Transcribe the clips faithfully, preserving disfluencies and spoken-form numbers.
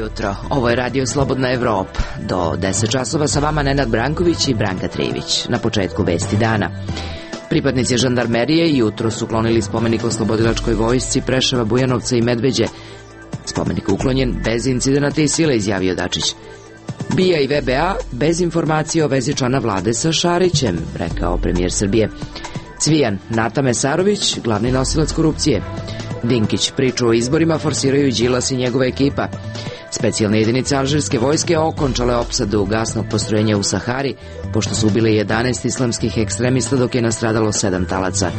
jutro, ovo je Radio Slobodna Evropa. Do deset časova sa vama Nenad Branković i Branka Trivić. Na početku vesti dana. Pripadnici žandarmerije jutro su uklonili spomenik oslobodilačkoj vojsci Preševa, Bujanovca i Medveđe. Spomenik uklonjen bez incidenata i sile, izjavio Dačić. B I A i V B A bez informacije o vezi člana vlade sa Šarićem, rekao premijer Srbije. Cvijan, Nata Mesarović, glavni nosilac korupcije. Dinkić, priču o izborima forsiraju Đilas i njegova ekipa. Specijalne jedinice alžirske vojske okončale opsadu gasnog postrojenja u Sahari, pošto su ubili jedanaest islamskih ekstremista, dok je nastradalo sedam talaca.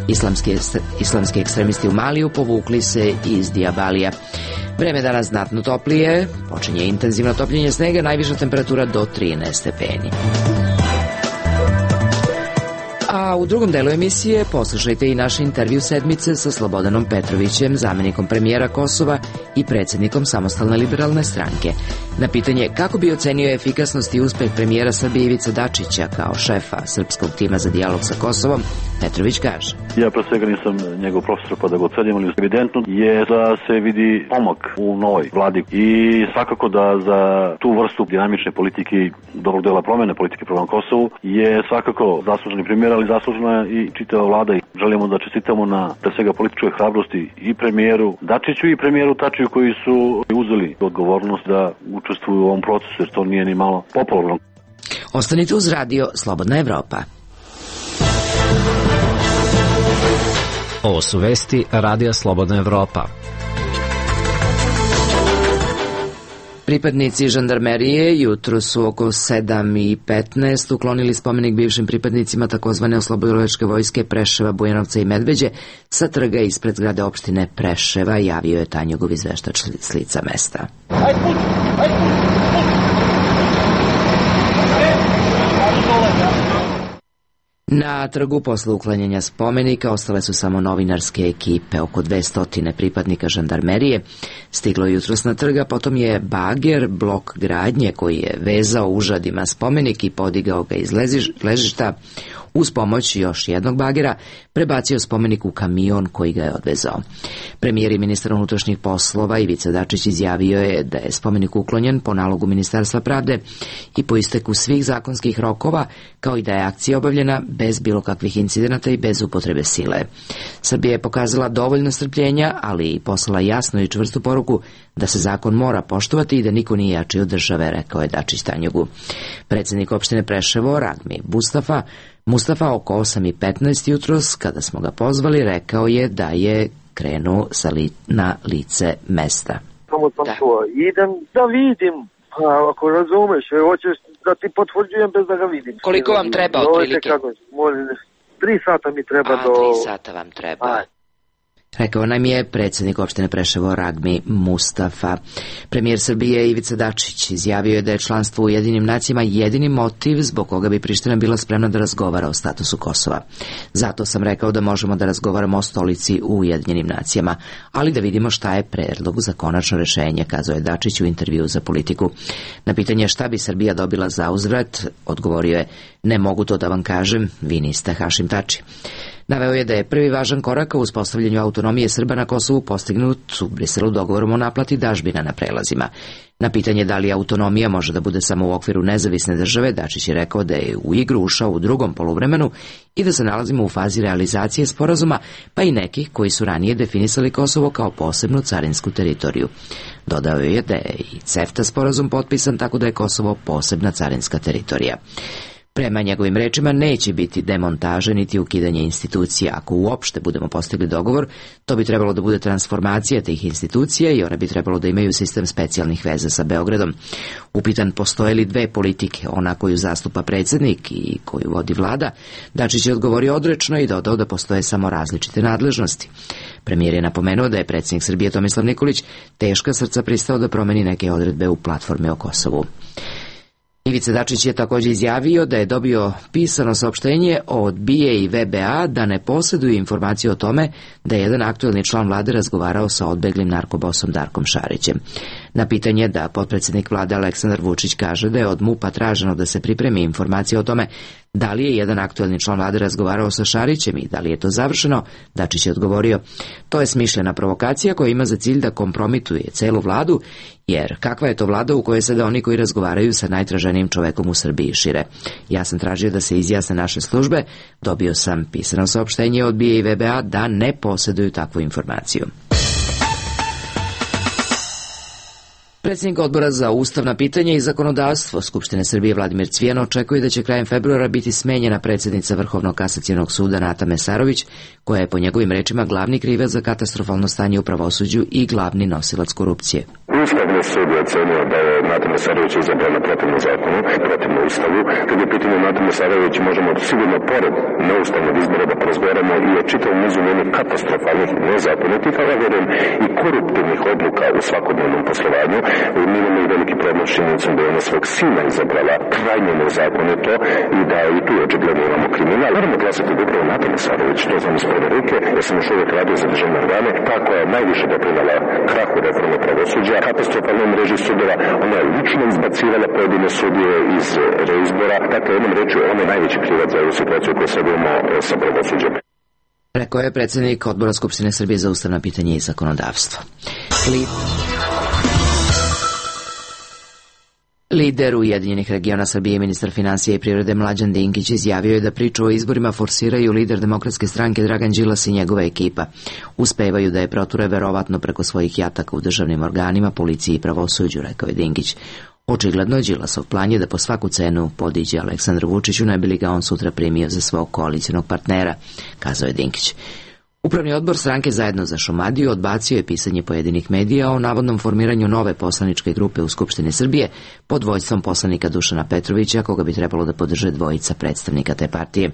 Islamski, islamski ekstremisti u Maliju povukli se iz Dijabalija. Vreme danas znatno toplije, počinje intenzivno topljenje snega, najviša temperatura do trinaest stepeni. A u drugom delu emisije poslušajte i naš intervju sedmice sa Slobodanom Petrovićem, zamenikom premijera Kosova i predsjednikom Samostalne liberalne stranke. Na pitanje kako bi ocenio efikasnost i uspeh premijera Srbije Ivice Dačića kao šefa srpskog tima za dijalog sa Kosovom, Petrović kaže. Ja pre svega nisam njegov profesor pa da ga ocenim, ali evidentno je da se vidi pomak u novoj vladi i svakako da za tu vrstu dinamične politike i dobrog dela promene politike prema Kosovu je svakako zasluženi premijer, ali zaslužena i čitava vlada i želimo da čestitamo na pre svega političkoj hrabrosti i premijeru Dačiću i premijeru Tačiju koji su uzeli odgovornost da učestvuju u ovom procesu, jer to nije ni malo popularno. Ostanite uz Radio Slobodna Evropa. Ovo su vesti Radija Slobodna Evropa. Pripadnici žandarmerije jutro su oko sedam i petnaest uklonili spomenik bivšim pripadnicima takozvane oslobodilačke vojske Preševa, Bujanovca i Medveđe sa trga ispred zgrade opštine Preševa, javio je Tanjugov izveštač s lica mesta. Ajde, puć, ajde, puć, puć. Na trgu posle uklanjanja spomenika ostale su samo novinarske ekipe, oko dvesta pripadnika žandarmerije. Stiglo jutros na trga, potom je bager, blok gradnje koji je vezao užadima spomenik i podigao ga iz ležišta, uz pomoć još jednog bagera prebacio spomenik u kamion koji ga je odvezao. Premijer i ministar unutrašnjih poslova Ivica Dačić izjavio je da je spomenik uklonjen po nalogu Ministarstva pravde i po isteku svih zakonskih rokova, kao i da je akcija obavljena bez bilo kakvih incidenata i bez upotrebe sile. Srbija je pokazala dovoljno strpljenja, ali i poslala jasnu i čvrstu poruku da se zakon mora poštovati i da niko nije jači od države, rekao je Dačić Tanjugu. Predsjednik opštine Preševo, Ragmi Mustafa, Mustafa oko osam i petnaest jutros, kada smo ga pozvali, rekao je da je krenuo sa li, na lice mesta. Samo sam da. čuo, idem da vidim, pa ako razumeš, hoćeš da ti potvrđujem bez da ga vidim. Koliko vam treba otprilike? Tri sata mi treba A, do... tri sata vam treba. A. Rekao nam je predsjednik opštine Preševo Ragmi Mustafa. Premijer Srbije Ivica Dačić izjavio je da je članstvo u Ujedinjenim nacijama jedini motiv zbog koga bi Priština bila spremna da razgovara o statusu Kosova. Zato sam rekao da možemo da razgovaramo o stolici u Ujedinjenim nacijama, ali da vidimo šta je predlog za konačno rešenje, kazao je Dačić u intervju za Politiku. Na pitanje šta bi Srbija dobila za uzvrat, odgovorio je: ne mogu to da vam kažem, vi niste Hašim Tači. Naveo je da je prvi važan korak u uspostavljanju autonomije Srba na Kosovu postignut u Briselu dogovorom o naplati dažbina na prelazima. Na pitanje da li autonomija može da bude samo u okviru nezavisne države, Dačić je rekao da je u igru ušao u drugom poluvremenu i da se nalazimo u fazi realizacije sporazuma, pa i nekih koji su ranije definisali Kosovo kao posebnu carinsku teritoriju. Dodao je da je i CEFTA sporazum potpisan, tako da je Kosovo posebna carinska teritorija. Prema njegovim rečima neće biti demontaže niti ukidanje institucija. Ako uopšte budemo postigli dogovor, to bi trebalo da bude transformacija tih institucija i one bi trebalo da imaju sistem specijalnih veza sa Beogradom. Upitan postoje li dve politike, ona koju zastupa predsjednik i koju vodi vlada, Dačić je odgovorio odrečno i dodao da postoje samo različite nadležnosti. Premijer je napomenuo da je predsjednik Srbije Tomislav Nikolić teška srca pristao da promeni neke odredbe u platformi o Kosovu. Ivica Dačić je također izjavio da je dobio pisano saopštenje od B I A i V B A da ne posjeduju informacije o tome da je jedan aktuelni član vlade razgovarao sa odbeglim narkobosom Darkom Šarićem. Na pitanje da potpredsjednik vlade Aleksandar Vučić kaže da je od M U P-a traženo da se pripremi informacije o tome da li je jedan aktuelni član vlade razgovarao sa Šarićem i da li je to završeno, Dačić je odgovorio: to je smišljena provokacija koja ima za cilj da kompromituje celu vladu, jer kakva je to vlada u kojoj sada oni koji razgovaraju sa najtraženijim čovekom u Srbiji šire. Ja sam tražio da se izjasne naše službe, dobio sam pisano saopštenje od B I A i V B A da ne posjeduju takvu informaciju. Predsjednik odbora za ustavna pitanja i zakonodavstvo Skupštine Srbije Vladimir Cvijan očekuje da će krajem februara biti smenjena predsjednica Vrhovnog kasacionog suda Nata Mesarović, koja je po njegovim rečima glavni krivac za katastrofalno stanje u pravosuđu i glavni nosilac korupcije. Ustavni sud je ocenio da je Nata Mesarović izabrana protivno zakonu, protivno ustavu. Kad je pitanje Nata Mesarović, možemo sigurno pored neustavnog izbora da porazgovaramo i o čitavom nizu njenih katastrofalnih, nezakonitih, ali vjerujem i koruptivnih odluka u svakodnevnom poslovanju. Mi imamo i veliki problem s činjenicom da je ona svog sina izabrala krajnje nezakonito i da i tu očigledno imamo kriminal. Moramo glasati da upravo Nata Mesarović, to znam iz prve ruke, ja sam još uvijek radio za državne organe, ta koja je najviše doprinala krahu reforme pravosuđa, katastrofalnoj mreži sudova, ona je lično izbacivala pojedine sudije iz reizbora, dakle jednom reći ona je najveći krivac za ovu situaciju koju sad imamo sa pravosuđem. Rekao je predsjednik odbora Skupštine Srbije za ustavna pitanja i zakonodavstvo. Li... Lider Ujedinjenih regiona Srbije, ministar financija i privrede Mlađan Dinkić izjavio je da priču o izborima forsiraju lider Demokratske stranke Dragan Đilas i njegova ekipa. Uspevaju da je proture verovatno preko svojih jataka u državnim organima, policiji i pravosuđu, rekao je Dinkić. Očigledno je Đilasov plan je da po svaku cenu podiđe Aleksandru Vučiću, ne bi li ga on sutra primio za svog koalicionog partnera, kazao je Dinkić. Upravni odbor stranke Zajedno za Šumadiju odbacio je pisanje pojedinih medija o navodnom formiranju nove poslaničke grupe u Skupštini Srbije pod vođstvom poslanika Dušana Petrovića, koga bi trebalo da podrže dvojica predstavnika te partije.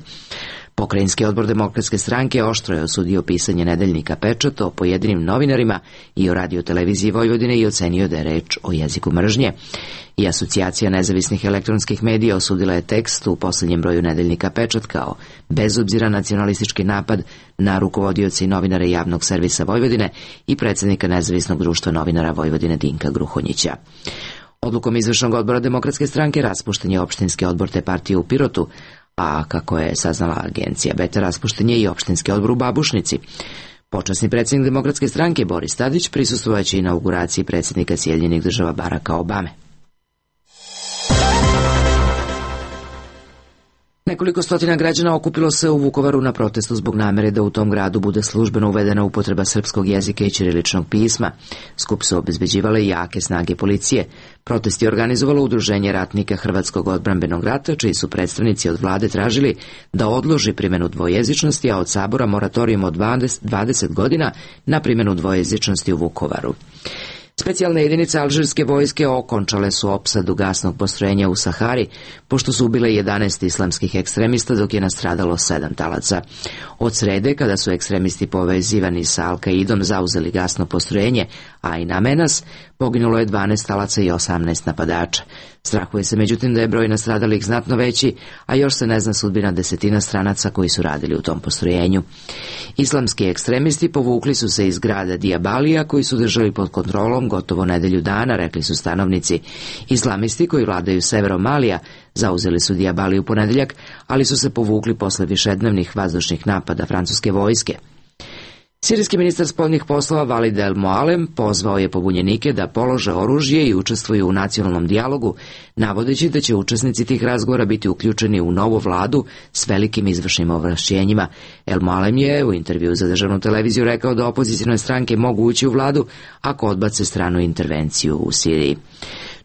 Pokrajinski odbor Demokratske stranke oštro je osudio pisanje nedeljnika Pečat o pojedinim novinarima i o radioteleviziji Vojvodine i ocenio da je reč o jeziku mržnje. I Asocijacija nezavisnih elektronskih medija osudila je tekst u posljednjem broju nedeljnika Pečat kao bezobziran nacionalistički napad na rukovodioce i novinare javnog servisa Vojvodine i predsjednika nezavisnog društva novinara Vojvodine Dinka Gruhonjića. Odlukom izvršnog odbora Demokratske stranke raspušten je opštinski odbor te partije u Pirotu, a kako je saznala agencija Beta, raspušten je i opštinski odbor u Babušnici. Počasni predsjednik Demokratske stranke Boris Tadić prisustvovaće inauguraciji predsjednika Sjedinjenih Država Baracka Obame. Nekoliko stotina građana okupilo se u Vukovaru na protestu zbog namere da u tom gradu bude službeno uvedena upotreba srpskog jezika i ćiriličnog pisma. Skup su obezbeđivale jake snage policije. Protest je organizovalo Udruženje ratnika Hrvatskog odbrambenog rata, čiji su predstavnici od vlade tražili da odloži primjenu dvojezičnosti, a od Sabora moratorijum od dvadeset godina na primjenu dvojezičnosti u Vukovaru. Specijalne jedinice alžirske vojske okončale su opsadu gasnog postrojenja u Sahari, pošto su ubile jedanaest islamskih ekstremista, dok je nastradalo sedam talaca. Od srede, kada su ekstremisti povezivani sa Al-Kaidom zauzeli gasno postrojenje, a i na Menas, poginulo je dvanaest talaca i osamnaest napadača. Strahuje se međutim da je broj nastradalih znatno veći, a još se ne zna sudbina desetina stranaca koji su radili u tom postrojenju. Islamski ekstremisti povukli su se iz grada Dijabalija, koji su držali pod kontrolom gotovo nedelju dana, rekli su stanovnici. Islamisti koji vladaju severom Malija zauzeli su Dijabaliju u ponedeljak, ali su se povukli posle višednevnih vazdušnih napada francuske vojske. Sirijski ministar spoljnih poslova Valid El Moalem pozvao je pobunjenike da polože oružje i učestvuju u nacionalnom dijalogu, navodeći da će učesnici tih razgovora biti uključeni u novu vladu s velikim izvršnim ovlašćenjima. El Moalem je u intervju za državnu televiziju rekao da opozicijne stranke mogu ući u vladu ako odbace stranu intervenciju u Siriji.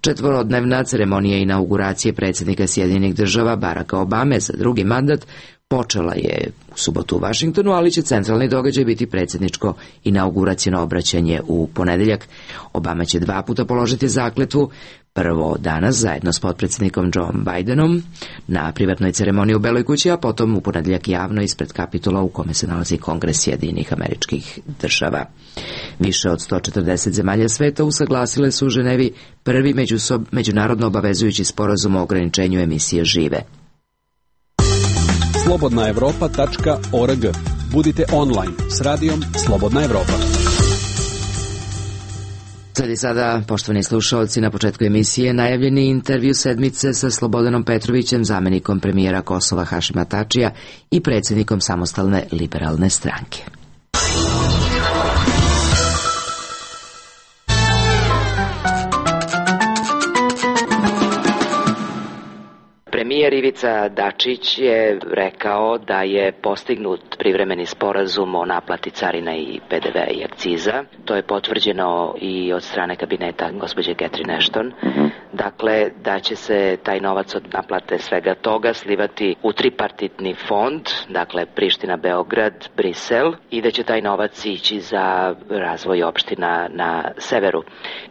Četvorodnevna ceremonija inauguracije predsjednika Sjedinjenih Država Baracka Obame za drugi mandat počela je u subotu u Vašingtonu, ali će centralni događaj biti predsjedničko inauguraciono obraćanje u ponedeljak. Obama će dva puta položiti zakletvu, prvo danas zajedno s potpredsjednikom Joe Bidenom na privatnoj ceremoniji u Beloj kući, a potom u ponedeljak javno ispred Kapitola u kome se nalazi Kongres Sjedinjenih Američkih Država. Više od sto četrdeset zemalja sveta usaglasile su u Ženevi prvi međusob, međunarodno obavezujući sporazum o ograničenju emisije žive. slobodna evropa tačka org. Budite online s radijom Slobodna Evropa. Sad i sada, poštovani slušalci, na početku emisije najavljeni intervju sedmice sa Slobodanom Petrovićem, zamenikom premijera Kosova Hašima Tačija i predsjednikom Samostalne liberalne stranke. Premijer Ivica Dačić je rekao da je postignut privremeni sporazum o naplati carina i P D V i akciza. To je potvrđeno i od strane kabineta gospođe Catherine Ashton. Dakle, da će se taj novac od naplate svega toga slivati u tripartitni fond, dakle Priština, Beograd, Brisel, i da će taj novac ići za razvoj opština na severu.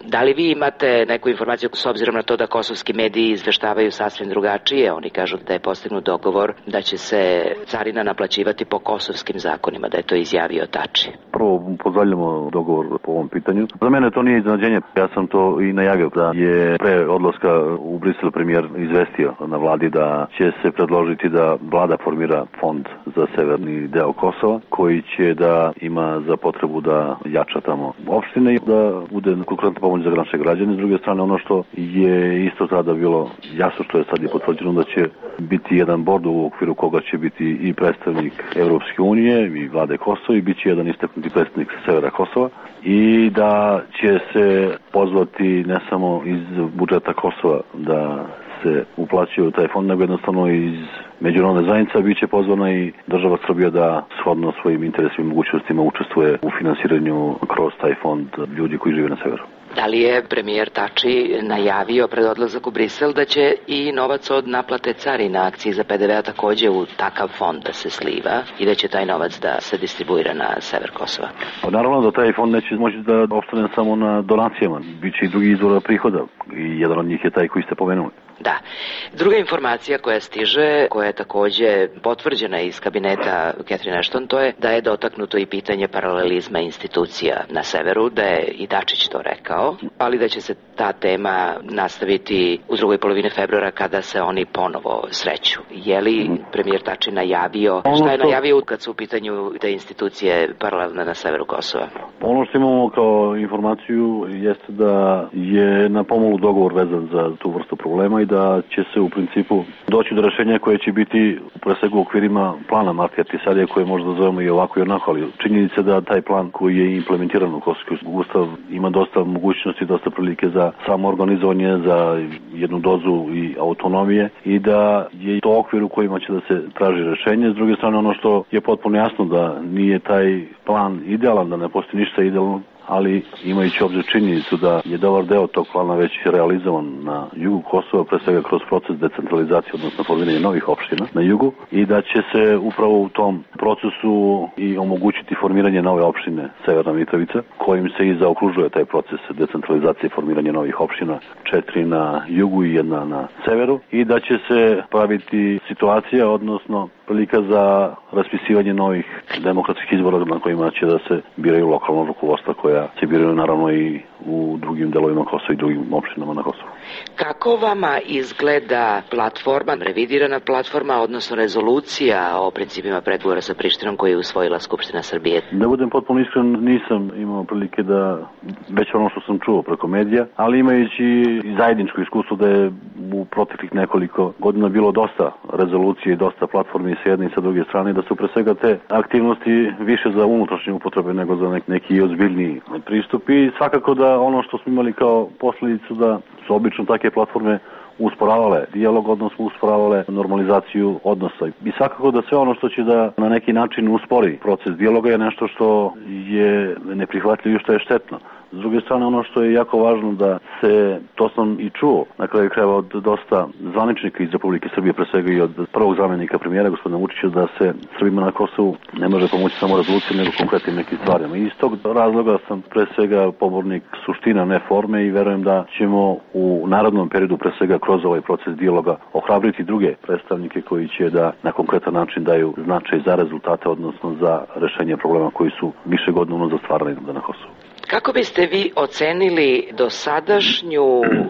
Da li vi imate neku informaciju s obzirom na to da kosovski mediji izveštavaju sasvim drugačije? Oni kažu da je postignut dogovor da će se carina naplaćivati po kosovskim zakonima, da je to izjavio Tači. Prvo pozdravljamo dogovor po ovom pitanju. Za mene to nije iznenađenje, ja sam to i najavio da je pre odlaska u Brisel premijer izvestio na vladi da će se predložiti da vlada formira fond za severni deo Kosova koji će da ima za potrebu da jača tamo opštine i da bude konkretna pomoć za naše građane. S druge strane, ono što je isto tada bilo jasno, što je sad i potvrđeno, da će biti jedan bord u okviru koga će biti i predstavnik Evropske unije i vlade Kosova i bit će jedan istaknuti predstavnik severa Kosova i da će se pozvati ne samo iz budžeta Kosova da se uplaćuje u taj fond, nego jednostavno iz međunarodne zajednice bit će pozvana i država Srbija da shodno svojim interesima i mogućnostima učestvuje u finansiranju kroz taj fond ljudi koji žive na severu. Da li je premijer Tači najavio pred odlazak u Brisel da će i novac od naplate carina, akciza, P D V-a takođe u takav fond da se sliva i da će taj novac da se distribuira na sever Kosova? Pa naravno da taj fond neće moći da opstane samo na donacijama. Biće i drugi izvora prihoda i jedan od njih je taj koji ste pomenuli. Da. Druga informacija koja stiže, koja je takođe potvrđena iz kabineta Catherine Ashton, to je da je dotaknuto i pitanje paralelizma institucija na severu, da je i Dačić to rekao, ali da će se ta tema nastaviti u drugoj polovini februara kada se oni ponovo sreću. Je li premijer Tači najavio, šta je najavio kad su u pitanju te institucije paralelne na severu Kosova? Ono što imamo kao informaciju jeste da je na pomolu dogovor vezan za tu vrstu problema i da će se u principu doći do rešenja koje će biti pre svega u okvirima plana Martija Tisarija, koje možda zovemo i ovako i onako, ali činjenica da taj plan koji je implementiran u Kosovski ustav ima dosta mogućnosti, dosta prilike za samoorganizovanje, za jednu dozu i autonomije i da je to okvir u kojima će da se traži rešenje. S druge strane, ono što je potpuno jasno da nije taj plan idealan, da ne postoji ništa idealno, ali imajući obzir činjenicu da je dobar deo tog plana već realizovan na jugu Kosova, pre svega kroz proces decentralizacije, odnosno formiranje novih opština na jugu, i da će se upravo u tom procesu i omogućiti formiranje nove opštine Severna Mitrovica, kojim se i zaokružuje taj proces decentralizacije i formiranje novih opština, četiri na jugu i jedna na severu, i da će se praviti situacija, odnosno prilika za raspisivanje novih demokratskih izbora na kojima će da se biraju lokalno rukovodstva koja se biraju naravno i u drugim delovima Kosova i drugim opštinama na Kosovu. Kako vama izgleda platforma, revidirana platforma, odnosno rezolucija o principima pregovora sa Prištinom koju je usvojila Skupština Srbije? Da budem potpuno iskren, nisam imao prilike da, već ono što sam čuo preko medija, ali imajući zajedničko iskustvo da je u proteklih nekoliko godina bilo dosta rezolucije i dosta platformi sa jedne i sa druge strane, da su pre svega te aktivnosti više za unutrašnje upotrebe nego za neki ozbiljniji pristup, i svakako da ono što smo imali kao posledicu da su obično take platforme usporavale dijalog, odnosno usporavale normalizaciju odnosa. I svakako da sve ono što će da na neki način uspori proces dijaloga je nešto što je neprihvatljivo i što je štetno. S druge strane, ono što je jako važno da se, to sam i čuo na kraju krajeva od dosta zvaničnika iz Republike Srbije, pre svega i od prvog zamjenika premijera, gospodina Vučića, da se Srbima na Kosovu ne može pomoći samo rezolucijom, nego konkretnim nekim stvarima. I iz tog razloga sam pre svega pobornik suština, ne forme, i verujem da ćemo u narodnom periodu pre svega kroz ovaj proces dijaloga ohrabriti druge predstavnike koji će da na konkretan način daju značaj za rezultate, odnosno za rešenje problema koji su više godina unazad stvarali na Kosovu. Kako biste vi ocenili dosadašnju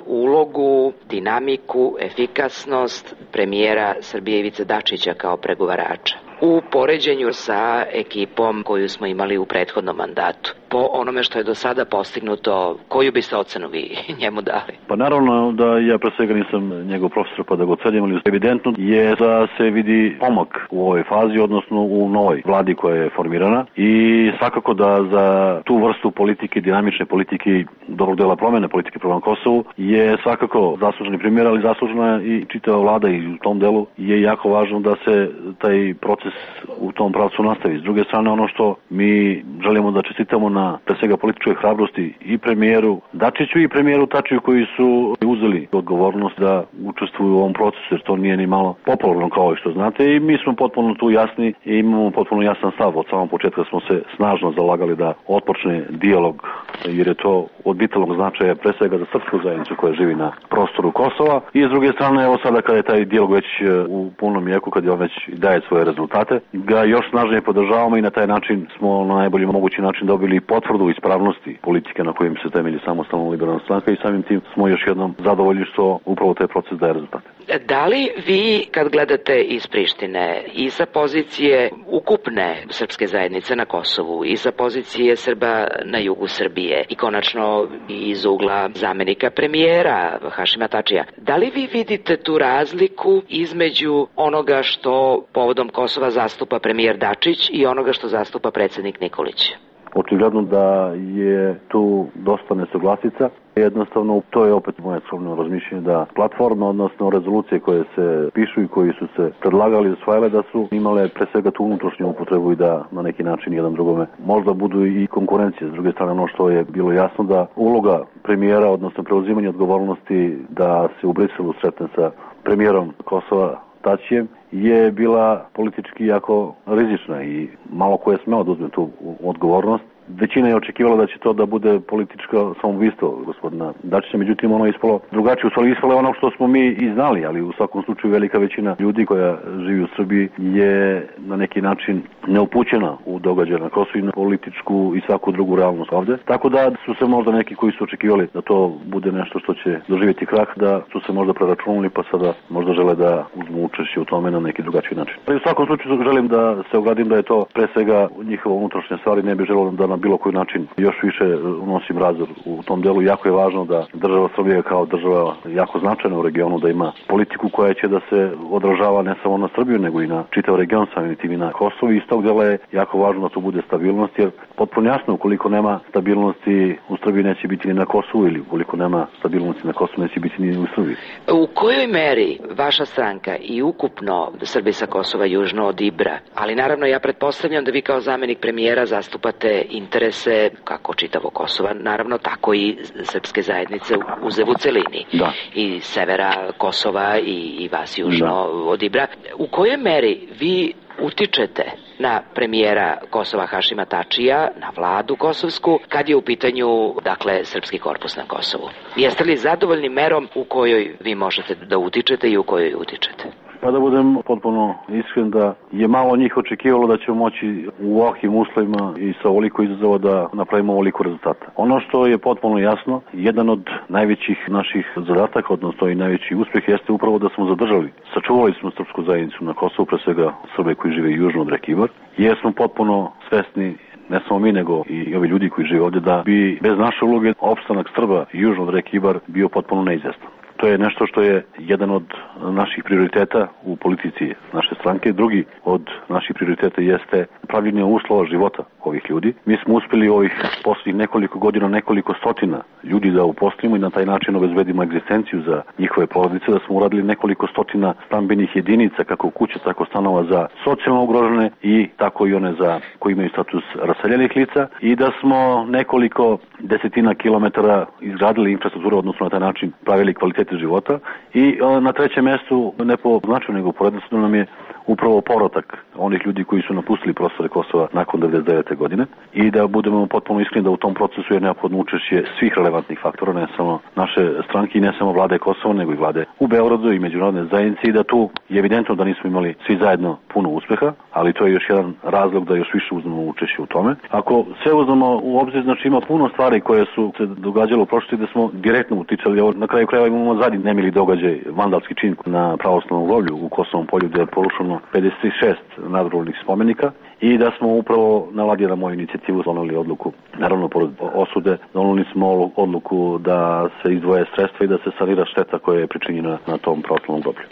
ulogu, dinamiku, efikasnost premijera Srbije Ivice Dačića kao pregovarača u poređenju sa ekipom koju smo imali u prethodnom mandatu? po onome što je do sada postignuto, koju biste ocenu vi njemu dali? Pa naravno da ja pre svega nisam njegov profesor pa da ga ocenim, ali evidentno je da se vidi pomak u ovoj fazi, odnosno u novoj vladi koja je formirana i svakako da za tu vrstu politike, dinamične politike, dobrog dela promene politike prema Kosovu je svakako zasluženi primjer, ali zaslužena i čitava vlada i u tom delu je jako važno da se taj proces u tom pravcu nastavi. S druge strane, ono što mi želimo da čestitamo na pre svega političkoj hrabrosti i premijeru Dačiću i premijeru Tačiju koji su uzeli odgovornost da učestvuju u ovom procesu, jer to nije ni malo popularno kao što znate i mi smo potpuno tu jasni i imamo potpuno jasan stav. Od samog početka smo se snažno zalagali da otpočne dijalog, jer je to od vitalnog značaja pre svega za srpsku zajednicu koja živi na prostoru Kosova i s druge strane, evo sada kada je taj dijalog već u punom jeku, kad je on već daje svoje rezultate, ga još snažnije podržavamo i na taj način smo na najbolji mogući način dobili potvrdu ispravnosti politike na kojim se temelji samostalna liberalna stranka i samim tim smo još jednom zadovoljni što upravo taj proces daje rezultate. Da li vi, kad gledate iz Prištine i sa pozicije ukupne srpske zajednice na Kosovu i sa pozicije Srba na jugu Srbije i konačno iz ugla zamenika premijera Hašima Tačija, da li vi vidite tu razliku između onoga što povodom Kosova zastupa premijer Dačić i onoga što zastupa predsednik Nikolić? Očigledno da je tu dosta nesuglasica. Jednostavno, to je opet moje skromno razmišljanje da platforme, odnosno rezolucije koje se pišu i koji su se predlagali i usvajale da su imale pre svega tu unutrašnju upotrebu i da na neki način jedan drugome možda budu i konkurencije. S druge strane, ono što je bilo jasno da uloga premijera, odnosno preuzimanje odgovornosti da se u Briselu sretne sa premijerom Kosova Tačijem je bila politički jako rizična i malo ko je smeo da uzme tu odgovornost. Većina je očekivala da će to da bude političko samoubistvo gospodina Dačića, međutim ono je ispalo drugačije, u stvari ispalo je ono što smo mi i znali, ali u svakom slučaju velika većina ljudi koja živi u Srbiji je na neki način neupućena u događaje na Kosovu i na političku i svaku drugu realnost ovde. Tako da su se možda neki koji su očekivali da to bude nešto što će doživjeti krah, da su se možda preračunali pa sada možda žele da uzmu učešće u tome na neki drugačiji način. Ali u svakom slučaju želim da se ogradim da je to pre svega njihova unutrašnja stvar i ne bih želeo da na bilo koji način još više unosim razdor u tom delu. Jako je važno da država Srbija kao država jako značajna u regionu, da ima politiku koja će da se odražava ne samo na Srbiju, nego i na čitav region, samim tim i na Kosovo. I iz tog dela je jako važno da tu bude stabilnost, jer potpuno jasno, ukoliko nema stabilnosti u Srbiji neće biti ni na Kosovu, ili ukoliko nema stabilnosti na Kosovu neće biti ni u Srbiji. U kojoj meri vaša stranka i ukupno Srbi sa Kosova južno od Ibra, ali naravno ja pretpostavljam da vi kao zamenik premijera zastupate interese kako čitavo Kosova, naravno tako i srpske zajednice u Zevu celini, da. I severa Kosova i, i vas južno da. Od Ibra. U kojoj meri vi utičete na premijera Kosova Hašima Tačija, na vladu kosovsku, kad je u pitanju, dakle, srpski korpus na Kosovu? Jeste li zadovoljni merom u kojoj vi možete da utičete i u kojoj utičete? Pa da budem potpuno iskren da je malo njih očekivalo da ćemo moći u ovakvim uslovima i sa ovoliko izazova da napravimo ovoliko rezultata. Ono što je potpuno jasno, jedan od najvećih naših zadataka, odnosno i najveći uspjeh jeste upravo da smo zadržali. Sačuvali smo srpsku zajednicu na Kosovu, pre svega Srbe koji žive južno od reke Ibar, jer smo potpuno svesni, ne samo mi, nego i ovi ljudi koji žive ovdje, da bi bez naše uloge opstanak Srba južno od reke Ibar bio potpuno neizvestan. To je nešto što je jedan od naših prioriteta u politici naše stranke. Drugi od naših prioriteta jeste pravljenje uslova života ovih ljudi. Mi smo uspjeli ovih posljednjih nekoliko godina, nekoliko stotina ljudi da uposlimo i na taj način obezbedimo egzistenciju za njihove porodice, da smo uradili nekoliko stotina stambenih jedinica, kako kuće, tako stanova za socijalno ugrožene i tako i one za koji imaju status raseljenih lica i da smo nekoliko desetina kilometara izgradili infrastrukturu, odnosno na taj način pravili kvalitete života i na trećem mjestu, ne po značaju nego po redoslijedu, nam je upravo povratak onih ljudi koji su napustili prostore Kosova nakon devedeset devete godine i da budemo potpuno iskreni da u tom procesu je neophodno učešće svih relevantnih faktora, ne samo naše stranke i ne samo vlade Kosova, nego i vlade u Beogradu i međunarodne zajednice i da tu je evidentno da nismo imali svi zajedno puno uspeha, ali to je još jedan razlog da još više uzmemo učešće u tome. Ako sve uzmemo u obzir, znači ima puno stvari koje su se događale u prošlosti da smo direktno uticali, evo na kraju krajeva imamo zadnji nemili događaj, vandalski čin na pravoslavnom groblju u Kosovom polju gdje je porušeno pedeset šest nadgrobnih spomenika i da smo upravo na vladi na moju inicijativu doneli odluku, naravno pored osude, doneli smo odluku da se izdvoje sredstva i da se sanira šteta koja je pričinjena na tom proslavnom groblju.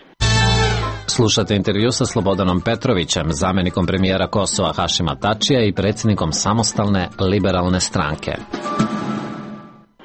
Slušate intervju sa Slobodanom Petrovićem, zamenikom premijera Kosova Hašima Tačija i predsjednikom samostalne liberalne stranke.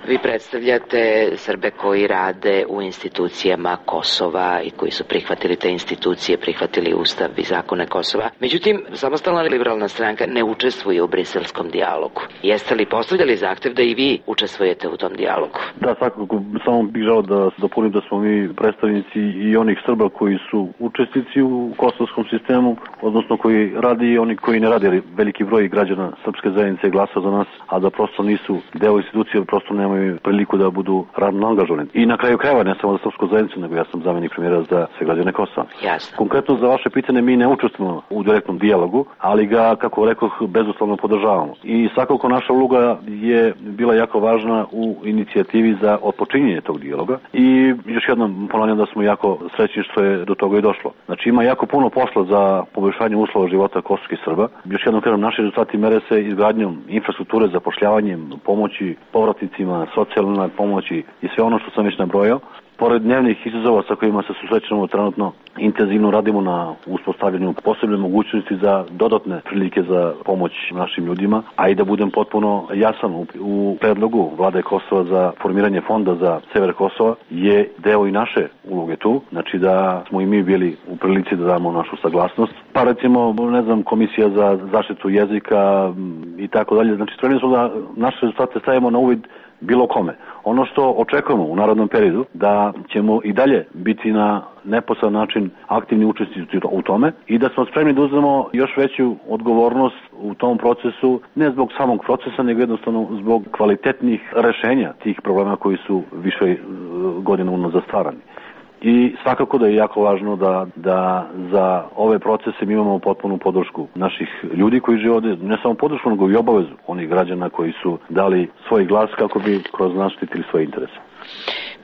Vi predstavljate Srbe koji rade u institucijama Kosova i koji su prihvatili te institucije, prihvatili Ustav i zakone Kosova. Međutim, samostalna liberalna stranka ne učestvuje u briselskom dijalogu. Jeste li postavljali zahtev da i vi učestvujete u tom dijalogu? Da, svakako, samo bih želeo da dopunim da smo mi predstavnici i onih Srba koji su učesnici u kosovskom sistemu, odnosno koji radi i oni koji ne radi. Veliki broj građana srpske zajednice glasa za nas, a da prosto nisu deo institucije, prosto nemaju priliku da budu radno angažovani. I na kraju krajeva, ne samo za srpsku zajednicu, nego ja sam zamenik premijera za sve građane Kosova. Jasno. Konkretno za vaše pitanje, mi ne učestvujemo u direktnom dijalogu, ali ga, kako rekoh, bezuslovno podržavamo. I svakako naša uloga je bila jako važna u inicijativi za otpočinjenje tog dijaloga. I još jednom ponavljam da smo jako srećni što je do toga i došlo. Znači ima jako puno posla za poboljšanje uslova života kosovskih Srba. Još jednom kažem, naši rezultati mere se izgradnjom infrastrukture, zapošljavanjem, pomoći povratnicima, socijalnoj pomoći i sve ono što sam već nabrojao. Pored dnevnih izazova sa kojima se susrećemo trenutno, intenzivno radimo na uspostavljanju posebne mogućnosti za dodatne prilike za pomoć našim ljudima, a i da budem potpuno jasan u, u predlogu Vlade Kosova za formiranje fonda za sever Kosova je deo i naše uloge tu, znači da smo i mi bili u prilici da damo našu saglasnost. Pa recimo, ne znam, Komisija za zaštitu jezika i tako dalje, znači spremni smo da naše rezultate stavimo na uvid bilo kome. Ono što očekujemo u narodnom periodu, da ćemo i dalje biti na neposredan način aktivni učesnici u tome i da smo spremni da uzmemo još veću odgovornost u tom procesu, ne zbog samog procesa, nego jednostavno zbog kvalitetnih rešenja tih problema koji su više godina unazad stvarani. I svakako da je jako važno da, da za ove procese mi imamo potpunu podršku naših ljudi koji žive ovde, ne samo podršku, nego i obavezu onih građana koji su dali svoj glas kako bi kroz nas štitili svoje interese.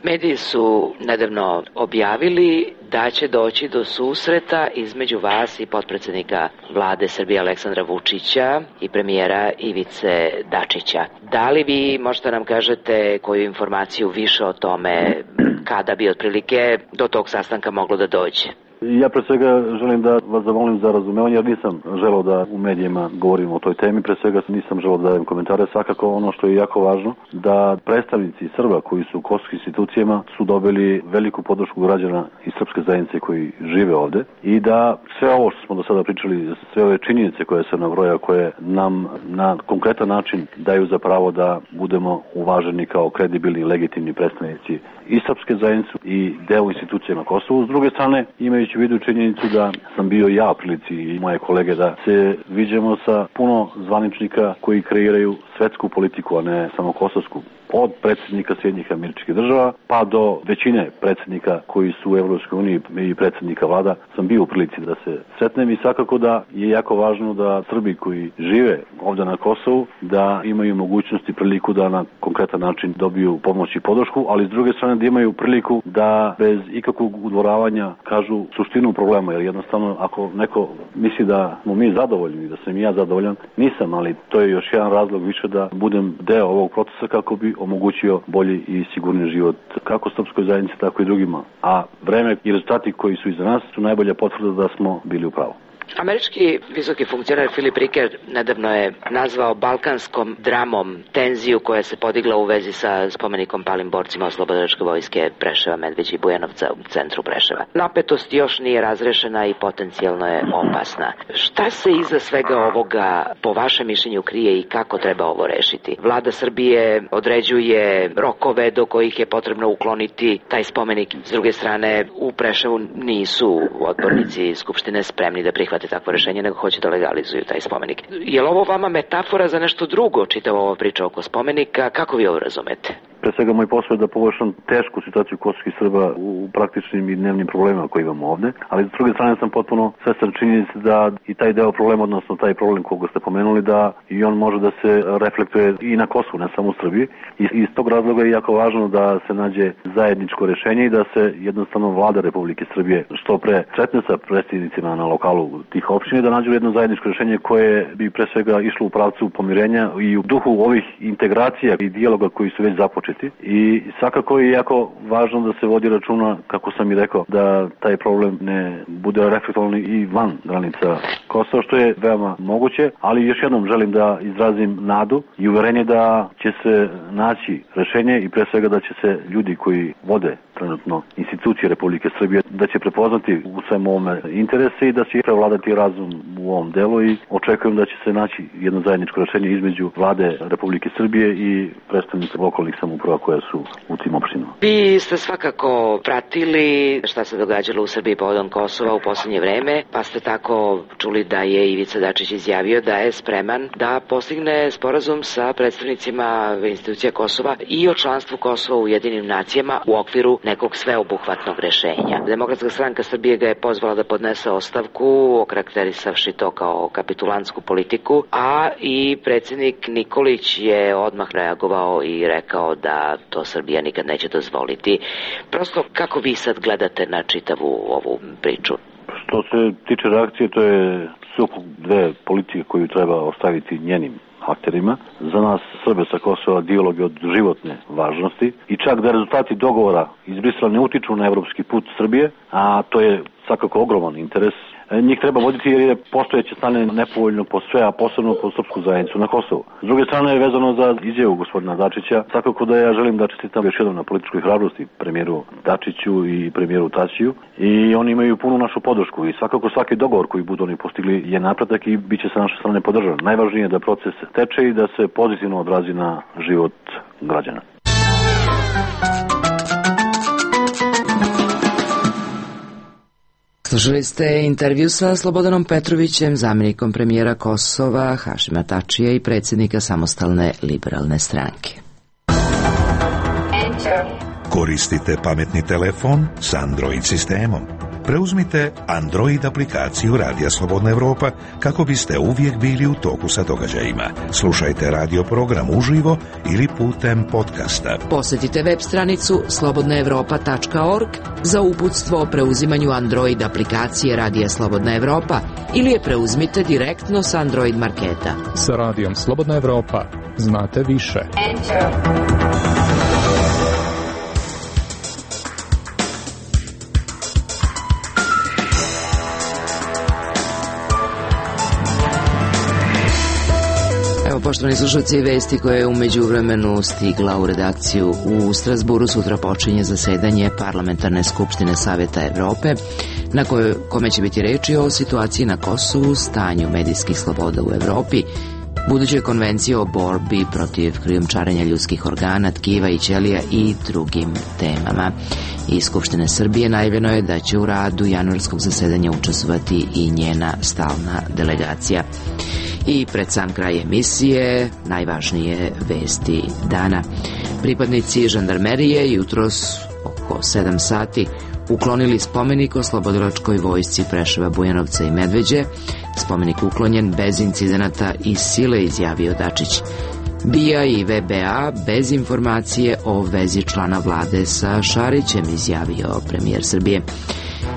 Mediji su nedavno objavili da će doći do susreta između vas i potpredsjednika vlade Srbije Aleksandra Vučića i premijera Ivice Dačića. Da li vi možete nam kažete koju informaciju više o tome, kada bi otprilike do tog sastanka moglo da dođe? Ja pre svega želim da vas zamolim za razumevanje, jer nisam želeo da u medijima govorim o toj temi, pre svega nisam želeo da dajem komentare. Svakako ono što je jako važno, da predstavnici Srba koji su u kosovskim institucijama su dobili veliku podršku građana i srpske zajednice koji žive ovde i da sve ovo što smo do sada pričali, sve ove činjenice koje se nabroja, koje nam na konkretan način daju za pravo da budemo uvaženi kao kredibilni i legitimni predstavnici i srpske zajednice i deo institucija na Kosovu. S druge strane, imajući u vidu činjenicu da sam bio ja u prilici i moje kolege da se viđemo sa puno zvaničnika koji kreiraju svetsku politiku, a ne samo kosovsku. Od predsjednika Sjedinjenih Američkih Država pa do većine predsjednika koji su u Evropskoj uniji i predsjednika vlada sam bio u prilici da se sretnem i svakako da je jako važno da Srbi koji žive ovdje na Kosovu da imaju mogućnost i priliku da na konkretan način dobiju pomoć i podršku, ali s druge strane da imaju priliku da bez ikakvog udvoravanja kažu suštinu problema, jer jednostavno ako neko misli da smo mi zadovoljni, da sam i ja zadovoljan, nisam, ali to je još jedan razlog više da budem deo ovog procesa kako bi omogućio bolji i sigurni život kako srpskoj zajednici, tako i drugima. A vreme i rezultati koji su iza nas su najbolja potvrda da smo bili u pravu. Američki visoki funkcioner Filip Riker nedavno je nazvao balkanskom dramom tenziju koja se podigla u vezi sa spomenikom palim borcima oslobodilačke vojske Preševa, Medveđe i Bujanovca u centru Preševa. Napetost još nije razrešena i potencijalno je opasna. Šta se iza svega ovoga po vašem mišljenju krije i kako treba ovo rešiti? Vlada Srbije određuje rokove do kojih je potrebno ukloniti taj spomenik. S druge strane, u Preševu nisu odbornici Skupštine spremni da prihvate takvo rešenje, nego hoće da legalizuju taj spomenik. Je li ovo vama metafora za nešto drugo, čitava ova priča oko spomenika? Kako vi ovo razumete? Pre svega moj posao je da poboljšam tešku situaciju kosovskih Srba u praktičnim i dnevnim problemima koje imamo ovde, ali s druge strane sam potpuno svestan činjenice da i taj deo problema, odnosno taj problem koga ste pomenuli, da i on može da se reflektuje i na Kosovu, ne samo u Srbiji. I iz tog razloga je jako važno da se nađe zajedničko rešenje i da se jednostavno vlada Republike Srbije što pre sretne sa predstavnicima na lokalu tih opština, da nađu jedno zajedničko rešenje koje bi pre svega išlo u pravcu pomirenja i u duhu ovih integracija i dijaloga koji su već započeti. I svakako je jako važno da se vodi računa, kako sam i rekao, da taj problem ne bude reflektovan i van granica Kosova, što je veoma moguće, ali još jednom želim da izrazim nadu i uverenje da će se naći rešenje i pre svega da će se ljudi koji vode trenutno institucije Republike Srbije da će prepoznati u svem ovome interese i da će prevladati razum u ovom delu i očekujem da će se naći jedno zajedničko rešenje između vlade Republike Srbije i predstavnika lokalnih samouprava koje su u tim opštinama. Vi ste svakako pratili šta se događalo u Srbiji povodom Kosova u poslednje vreme, pa ste tako čuli da je Ivica Dačić izjavio da je spreman da postigne sporazum sa predstavnicima institucija Kosova i o članstvu Kosova u Ujedinjenim nacijama u okviru nekog sveobuhvatnog rešenja. Demokratska stranka Srbije ga je pozvala da podnese ostavku, okarakterisavši to kao kapitulantsku politiku, a i predsjednik Nikolić je odmah reagovao i rekao da to Srbija nikad neće dozvoliti. Prosto, kako vi sad gledate na čitavu ovu priču? Što se tiče reakcije, to je sukob dve politike koju treba ostaviti njenim akterima. Za nas Srbe sa Kosova dijalog je od životne važnosti i čak da rezultati dogovora iz Brisela ne utiču na evropski put Srbije, a to je svakako ogroman interes, njih treba voditi jer je postojeće stanje nepovoljno po sve, a posebno po srpsku zajednicu na Kosovu. S druge strane, vezano za izjavu gospodina Dačića, svakako da ja želim da čestitam još jednom na političkoj hrabrosti premijeru Dačiću i premijeru Tačiju i oni imaju punu našu podršku i svakako svaki dogovor koji budu oni postigli je napredak i bit će sa naše strane podržan. Najvažnije je da proces teče i da se pozitivno odrazi na život građana. Slušali ste intervju sa Slobodanom Petrovićem, zamjenikom premijera Kosova Hašima Tačija i predsjednika Samostalne liberalne stranke. Koristite pametni telefon s Android sistemom. Preuzmite Android aplikaciju Radija Slobodna Evropa kako biste uvijek bili u toku sa događajima. Slušajte radio program uživo ili putem podcasta. Posjetite web stranicu slobodna evropa tačka org za uputstvo o preuzimanju Android aplikacije Radija Slobodna Evropa ili je preuzmite direktno s Android marketa. Sa Radijom Slobodna Evropa znate više. Poštovani slušalci, vesti koje je umeđu vremenu stigla u redakciju u Strasburu. Sutra počinje zasedanje Parlamentarne skupštine Saveta Evrope, na kojoj, kome će biti reči o situaciji na Kosovu, stanju medijskih sloboda u Evropi, budućoj konvenciji o borbi protiv krijumčarenja ljudskih organa, tkiva i ćelija i drugim temama. Iz Skupštine Srbije najavljeno je da će u radu januarskog zasedanja učestvovati i njena stalna delegacija. I pred sam kraj emisije, najvažnije vesti dana. Pripadnici žandarmerije jutros oko sedam sati uklonili spomenik oslobodilačkoj vojsci Preševa, Bujanovca i Medveđe. Spomenik uklonjen bez incidenata i sile, izjavio Dačić. B I A i V B A bez informacije o vezi člana vlade sa Šarićem, izjavio premijer Srbije.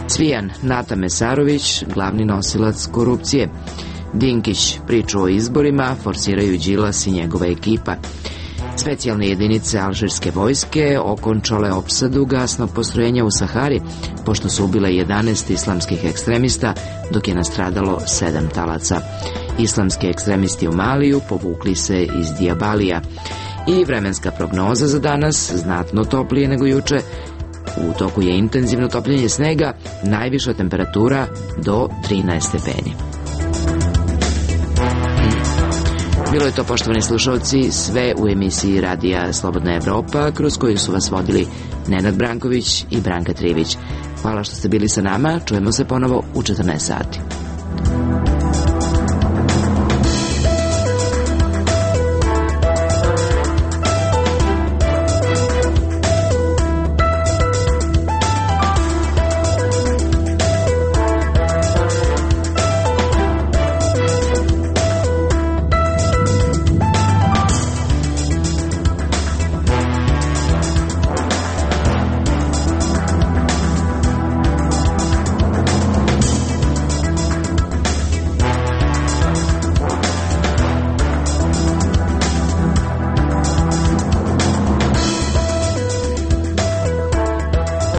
Cvijan Nata Mesarović, glavni nosilac korupcije. Dinkić priču o izborima, forsiraju Đilas i njegova ekipa. Specijalne jedinice alžirske vojske okončale opsadu gasnog postrojenja u Sahari, pošto su ubile jedanaest islamskih ekstremista, dok je nastradalo sedam talaca. Islamski ekstremisti u Maliju povukli se iz Dijabalija. I vremenska prognoza za danas, znatno toplije nego juče. U toku je intenzivno topljenje snega, najviša temperatura do trinaest stepeni. Bilo je to, poštovani slušalci, sve u emisiji Radija Slobodna Evropa, kroz koju su vas vodili Nenad Branković i Branka Trivić. Hvala što ste bili sa nama, čujemo se ponovo u četrnaest sati.